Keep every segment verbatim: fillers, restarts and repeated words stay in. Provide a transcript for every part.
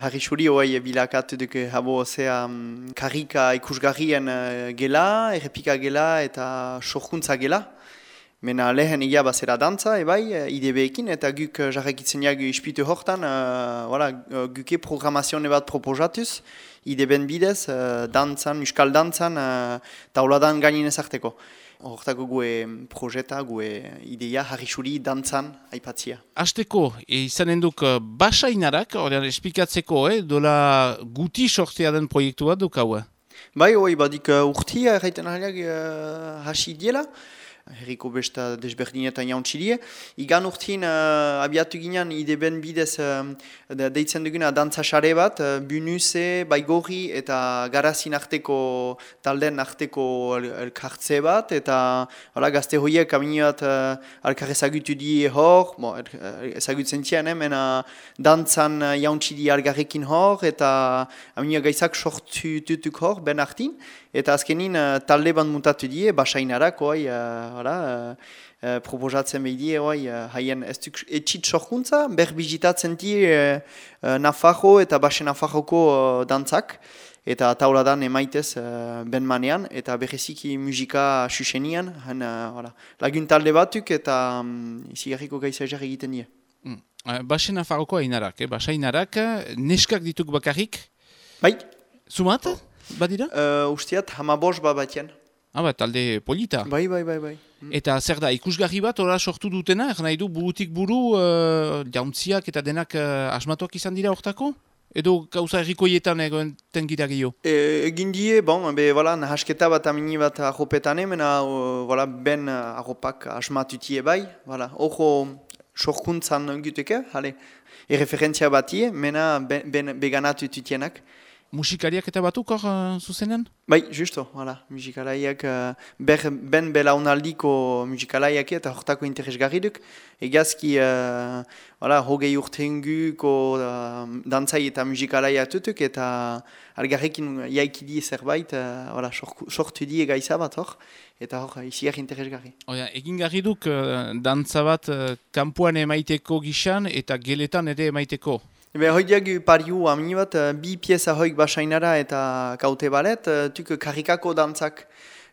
Harri xuri hoai bilakatu duk habo zea um, karrika ikusgarrien uh, gela, errepika gela eta sorkuntza gela. Mena lehen egia bazera dantza, ebai, I D B-ekin, eta guk uh, jarrakitzen jagu ispitu hortan, uh, voilà, uh, guke programazione bat proposatuz, I D B-en bidez, uh, dantzan, muskal dantzan, uh, tauladan gainin ezarteko. Hortako gue projeta, gue ideia, harri xuri dantzan aipatzia. Azteko, izanen duk basainarak, horrean espikatzeko, eh, dola guti sortzea den proiektu bat duk hau? Bai, hoi, badik uh, urtia erraiten ahaliak uh, hasi diela, herriko besta desberdinetan jauntxidie. Igan urtin uh, abiatu ginean I D B-en bidez uh, deitzen duguna dantza sare bat, uh, Bunuse, Baigorri eta Garazin arteko talden arteko elkartze bat, eta hala, gazte horiek amini bat uh, alkar ezagutu die hor, bon, ezagutzen tien, mena dantzan uh, jauntxidi algarrekin hor, eta amini gaizak sortu tutuk hor, ben artin. Eta azkenin uh, talde bat mutatu die, basainarak, oi, uh, hala, uh, uh, proposatzen behidie, oi, uh, haien ez duk etxit sorkuntza, ber bizitatzen die uh, uh, Nafarro eta Base Nafarroko uh, dantzak, eta tauladan emaitez uh, ben manean, eta bereziki musika susenian, uh, lagun talde batuk eta um, izigarriko gaizajar egiten die. Mm. Uh, Base Nafarroko hainarak, eh? Basainarak, neskak dituk bakarrik? Bai. Zumat? Badira? Uh, usteat, hamabos bat batien. Ah, ba, talde polita. Bai, bai, bai, bai. Mm. Eta zer da, ikusgarri bat ora sortu dutena, er nahi du burutik buru, uh, jauntziak eta denak uh, asmatuak izan dira hortako? Edo gauza errikoietan egoen tengira gehiago? E, egin die, bon, be, voilà, nahasketa bat amini bat arropetan emena, uh, voilà, ben uh, arropak asmatutie bai, voilà, ojo sorkuntzan guteke, hale, erreferentzia batie, mena ben, ben beganatu tutienak. Musikariak eta batuk hor uh, zuzenen? Bai, justo, voilà, musikalaiak, uh, ber, ben belaunaldiko musikalaiak eta hortako interesgarri duk. Egazki, uh, voilà, hogei urtenguko uh, dantzai eta musikalaiak tutuk, eta algarrekin jaikidi zerbait, uh, voilà, sortu die gaiza bat hor, eta hor, iziak interesgarri. Oia, egin garri duk uh, dantza bat uh, kanpoan emaiteko gixan eta geletan ere emaiteko? Ebe, hoiak pariu amini bat, bi pieza hoik basainara eta kaute balet, tuk karikako dantzak,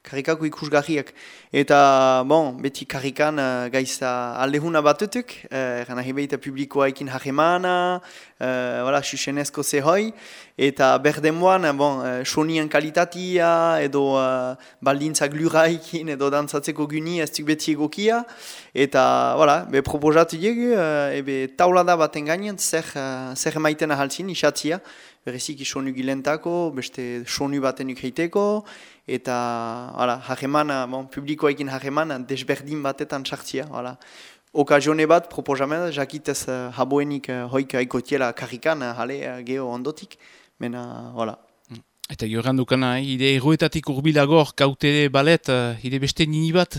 karikako ikusgarriak. Eta, bon, beti karikan uh, gaiza aldehuna batutuk, eran uh, ahibeita publikoa ekin hajemana, uh, voilà, susenezko zehoi, eta berdemoan, bon, uh, sonien kalitatia, edo uh, baldintzak luraikin, edo dantzatzeko guni ez duk beti egokia, eta, voilà, be proposatu diegu, uh, ebe taulada baten gainen, zer, uh, zer maiten ahaltzin, isatzia, bereziki sonu gilentako, beste sonu baten ukeiteko, eta hala, hajemana, bon, publikoekin hajemana, desberdin batetan sartzia. Hala. Okazione bat, proposamen, jakitez uh, haboenik uh, hoik aikotiela karrikan, uh, hale, uh, geho ondotik, mena, hala. Eta joran dukana, ide erroetatik urbilagor, kaute balet, uh, ide beste nini bat?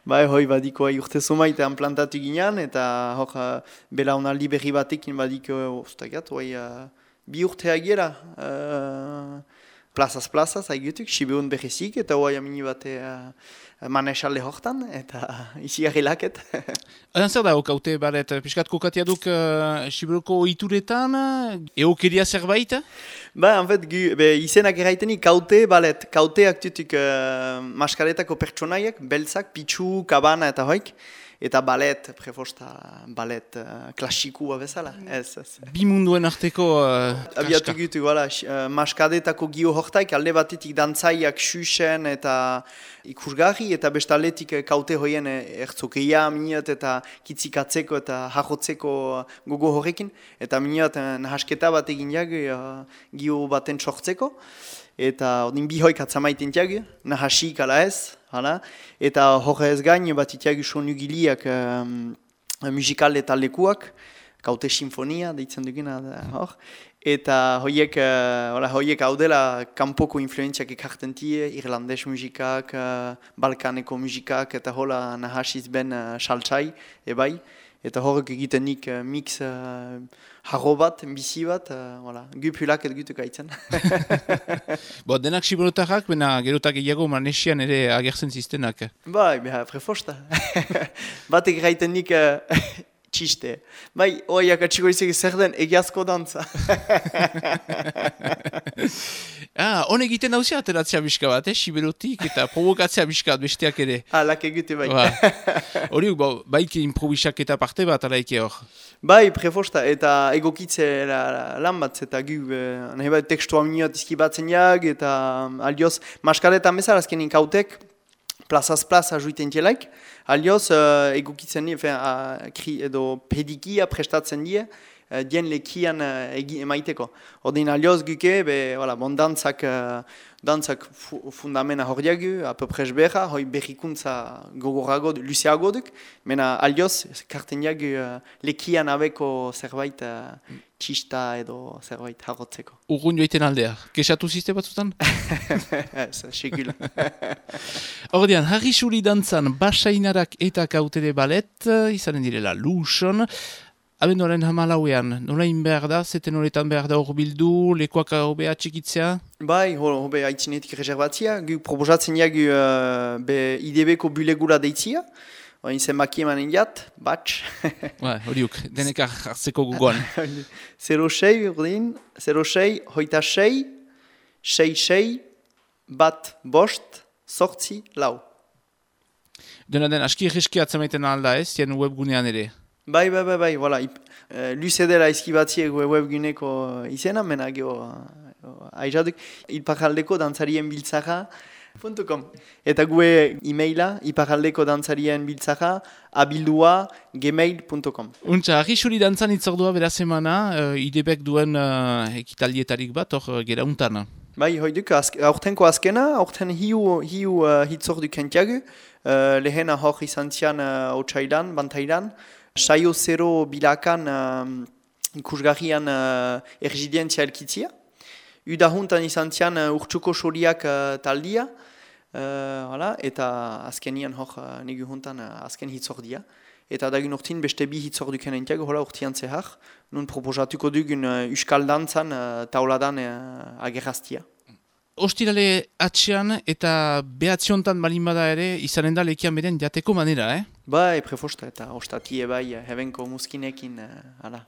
Bai, hoi badiko urte zumaitan plantatu ginean, eta hor uh, belaunaldi berri batekin badiko, ustagat, hoi uh, bi urte agiera, uh, plazaz plazaz, haigutuk, Sibeun berrezik, eta hoi amini bate uh, manesalde hortan, eta izi arrelaket. Adan zer da, kaute balet, piskat kokatia duk uh, Sibeuko ituretan, eokeria zerbait? Ba, en fait, gu, be, izenak erraitenik kaute balet, kauteak tutuk uh, maskaretako pertsonaiak, beltzak, pitsu, kabana eta hoik, eta balet, prefosta balet uh, klasikua bezala, ez, ez. Bi munduen arteko uh, abiatu gutu, voilà, uh, maskadetako gio hortaik, alde batetik dantzaiak xuxen eta ikusgarri, eta bestaletik kaute hoien ertzokeia miniat eta kitzikatzeko eta jajotzeko gogo horrekin, eta miniat nahasketa bat egin jagu uh, gio baten sortzeko, eta odin bi hoik atzamaiten tiagu, nahasik ala ez, hala, eta horrez gain bat itiagu sonu giliak um, musikal eta lekuak, kaute sinfonia, deitzen duguna hor, eta hoiek, uh, hoiek hau dela kanpoko influentziak ekarten tie, irlandes musikak, uh, balkaneko musikak, eta hola nahasiz ben uh, saltzai, ebai, eta horrek egiten nik uh, mix uh, harro bat, bizi bat, uh, voilà, gupulak edo gutuk aitzen. Bo, denak siberotarrak, bena gerotak gehiago manesian ere agertzen ziztenak. Bai, beha, prefosta. Batek gaiten nik uh, txiste. Bai, oiak atxiko izek zer den egiazko dantza. Ah, honek egiten dauzia ateratzea bizka bat, eh? Siberotik eta provokatzea bizka bat besteak ere. Ah, lak egite bai. Horiuk, ba, baik improvisak eta parte bat, alaike hor. Bai, prefosta, eta egokitze la, lan bat, eta gu, eh, nahi bat tekstua minioat izkibatzen jag, eta aldioz, maskaretan bezala azkenin kautek, plazaz plaza juiten tielaik, aldioz, uh, egokitzen die, uh, kri, edo pedikia prestatzen die, uh, dien lekian uh, egi emaiteko. Ordin aldioz guke, be, voilà, bon dantzak, uh, dantzak fu fundamena horiagu, apopres beha, hoi berrikuntza gogorago, luzeago duk, mena aldioz, karten jagu uh, lekian abeko zerbait uh, txista edo zerbait harrotzeko. Urgun joiten aldea, kesatu ziste batzutan? Ez, sekula. Ordean, harri suri dantzan basainarak eta kautere balet, izanen direla luson. Abenduaren hamalauean, norain behar da, zeten horretan behar da hor bildu, lekuak hobea txikitzea? Bai, hobe haitzinetik reservatzia, gu proposatzen jagu uh, be I D B-ko bulegura deitzia, oin zenbaki emanen jat, batx. Ba, horiuk, denek hartzeko gugoan. zero sei, urdin, zero sei, hoita sei, sei sei, bat bost, sortzi, lau. Dena den, aski egeski atzamaiten alda ez, jen webgunean ere? Bai, bai, bai, bai, voilà. Uh, luze dela izkibatziek webguneko izena, mena geho uh, aizaduk, iparaldeko dantzarien biltzara punto com. Eta gue e-maila, iparaldeko dantzarien biltzara, abildua gmail punto com. Untza, argi suri dantzan itzordua beraz emana, uh, I D B-ek duen uh, ekitaldietarik bat, hor gera untan. Bai, hoiduk, aurtenko azkena, aurten hiu, hiu uh, hitzordu kentiagu, uh, lehena hor izan zian uh, otxailan, bantailan, saio zero bilakan uh, ikusgarrian uh, ergidientzia elkitzia. Udahuntan izan zian uh, urtsuko soriak uh, taldia, uh, hala, eta azkenian hor uh, negu huntan uh, azken hitzordia. Eta dagun urtin beste bi hitzordu kenentiago, hola urtian zehar, nun proposatuko dugun uh, uskal dantzan uh, tauladan uh, agerraztia. Ostirale atxean eta behatziontan balin bada ere, izanen da lekian beren jateko manera, eh? Bai, prefosta eta ostatie bai, hebenko muskinekin, uh, ala.